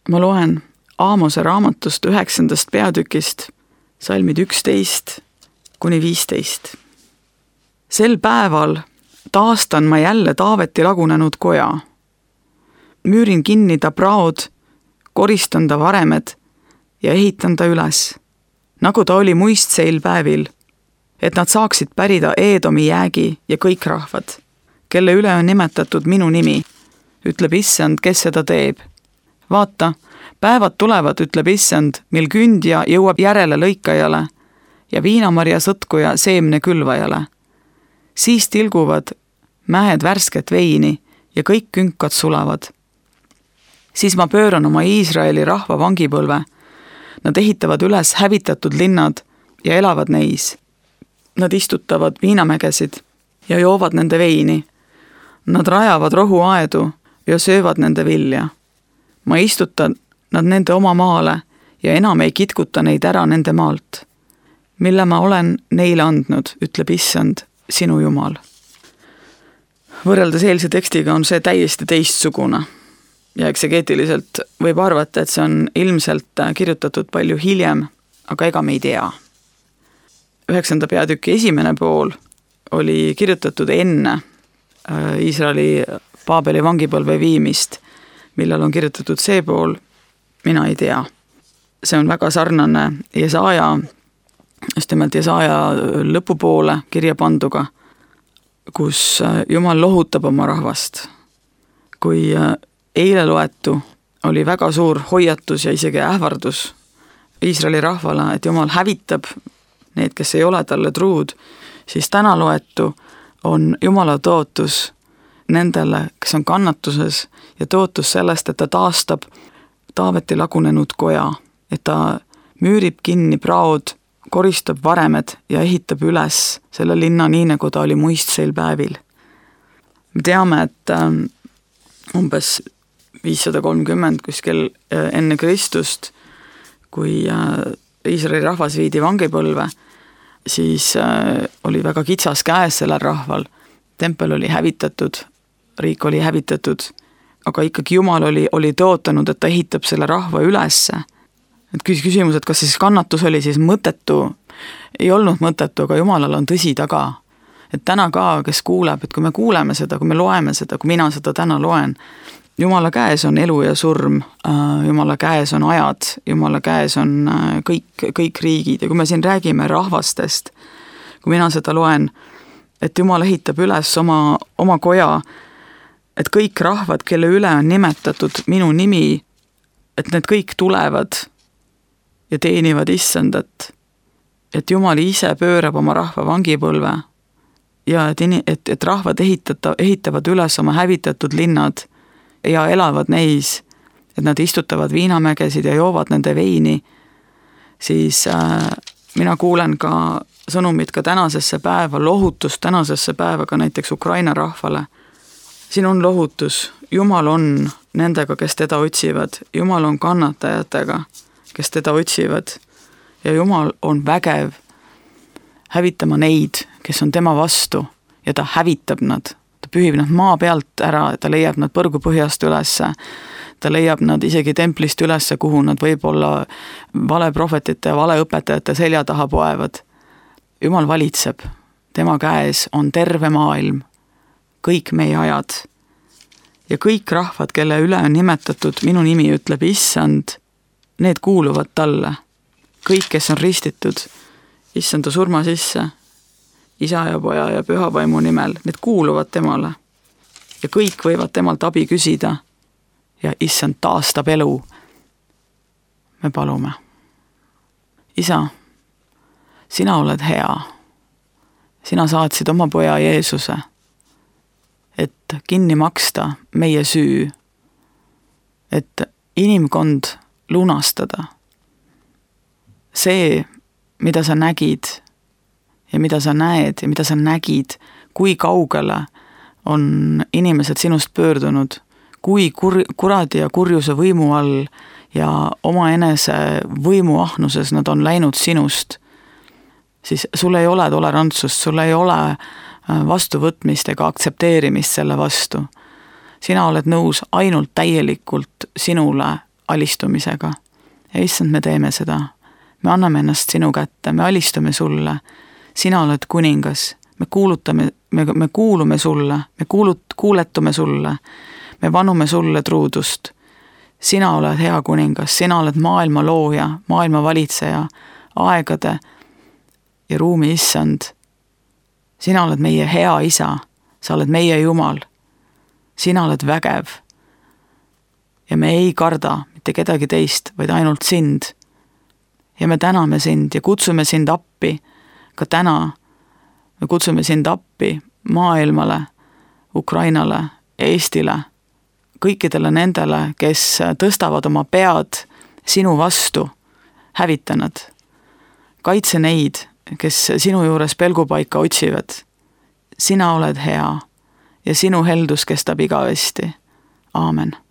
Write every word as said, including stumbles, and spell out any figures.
Ma loen Aamose raamatust üheksandast peatükist, salmid üksteist kuni viisteist. Sel päeval taastan ma jälle Taaveti lagunenud koja. Müürin kinni ta praod, koristan ta varemed ja ehitan ta üles, nagu ta oli muistseil päevil, et nad saaksid pärida Eedomi jäägi ja kõik rahvad, kelle üle on nimetatud minu nimi, ütleb Issand, kes seda teeb. Vaata, päevad tulevad, ütleb Issand, mil kündja jõuab järele lõikajale ja viinamarja sõtkuja seemne külvajale. Siis tilguvad mähed värsket veini ja kõik künkad sulavad. Siis ma pööran oma Iisraeli rahva vangipõlve. Nad ehitavad üles hävitatud linnad ja elavad neis. Nad istutavad viinamägesid ja joovad nende veini. Nad rajavad rohuaedu ja söövad nende vilja. Ma istutan nad nende oma maale ja enam ei kitkuta neid ära nende maalt, mille ma olen neile andnud, ütleb Issand, sinu Jumal. Võrreldes eelse tekstiga on see täiesti teistsugune ja eksegeetiliselt võib arvata, et see on ilmselt kirjutatud palju hiljem, aga ega me ei tea. Üheksanda peatüki esimene pool oli kirjutatud enne Iisraeli Paabeli vangipõlve viimist, millal on kirjutatud see pool, mina ei tea. See on väga sarnane Jesaja, just nimelt Jesaja lõpupoole kirja panduga, kus Jumal lohutab oma rahvast. Kui eile loetu oli väga suur hoiatus ja isegi ähvardus Iisraeli rahvale, et Jumal hävitab need, kes ei ole talle truud, siis täna loetu on Jumala tootus nendele, kes on kannatuses ja tootus sellest, et ta taastab Taaveti lagunenud koja, et ta müürib kinni praod, koristab varemed ja ehitab üles selle linna nii, nagu ta oli muistseil päevil. Me teame, et umbes viissada kolmkümmend kuskil enne Kristust, kui Iisraeli rahvas viidi vangipõlve, siis oli väga kitsas käes sellel rahval. Tempel oli hävitatud, riik oli hävitatud, aga ikkagi Jumal oli, oli tõotanud, et ta ehitab selle rahva ülesse. Et küsimus, et kas siis kannatus oli siis mõttetu, ei olnud mõttetu, aga Jumalal on tõsi taga. Et täna ka, kes kuuleb, et kui me kuuleme seda, kui me loeme seda, kui mina seda täna loen, Jumala käes on elu ja surm, Jumala käes on ajad, Jumala käes on kõik, kõik riigid ja kui me siin räägime rahvastest, kui mina seda loen, et Jumal ehitab üles oma, oma koja, et kõik rahvad, kelle üle on nimetatud minu nimi, et need kõik tulevad ja teenivad Issandat, et Jumal ise pöörab oma rahva vangipõlve ja et, et, et rahvad ehitata, ehitavad üles oma hävitatud linnad ja elavad neis, et nad istutavad viinamägesid ja joovad nende veini, siis äh, mina kuulen ka sõnumid ka tänasesse päeva, lohutust tänasesse päeva ka näiteks Ukraina rahvale. Siin on lohutus, Jumal on nendega, kes teda otsivad, Jumal on kannatajatega, kes teda otsivad ja Jumal on vägev hävitama neid, kes on tema vastu ja ta hävitab nad. Ta pühib nad maa pealt ära, ta leiab nad põrgupõhjast ülesse, ta leiab nad isegi templist ülesse, kuhu nad võib-olla valeprohvetite ja valeõpetajate selja taha poevad. Jumal valitseb, tema käes on terve maailm, kõik meie ajad ja kõik rahvad, kelle üle on nimetatud minu nimi, ütleb Issand, need kuuluvad talle. Kõik, kes on ristitud Issanda surma sisse, Isa ja Poja ja Pühavaimu nimel, need kuuluvad temale ja kõik võivad temalt abi küsida ja Issand taastab elu. Me palume. Isa, sina oled hea. Sina saatsid oma Poja Jeesuse, et kinni maksta meie süü, et inimkond lunastada. See, mida sa nägid ja mida sa näed ja mida sa nägid, kui kaugele on inimesed sinust pöördunud, kui kur, kuradi ja kurjuse võimu all ja oma enese võimuahnuses nad on läinud sinust, siis sul ei ole tolerantsust, sul ei ole vastuvõtmist ega aktsepteerimist selle vastu. Sina oled nõus ainult täielikult sinule alistumisega. Ja issand, me teeme seda. Me anname ennast sinu kätte, me alistume sulle. Sina oled kuningas, me kuulutame, me, me kuulume sulle, me kuulut, kuuletume sulle, me vanume sulle truudust. Sina oled hea kuningas, sina oled maailma looja, maailma valitseja, aegade ja ruumi issand. Sina oled meie hea isa, sa oled meie Jumal. Sina oled vägev. Ja me ei karda mitte kedagi teist, vaid ainult sind. Ja me täname sind ja kutsume sind appi ka täna. Me kutsume sind appi maailmale, Ukrainale, Eestile, kõikidele nendele, kes tõstavad oma pead sinu vastu, hävita nad. Kaitse neid, kes sinu juures pelgupaika otsivad. Sina oled hea ja sinu heldus kestab igavesti. Aamen.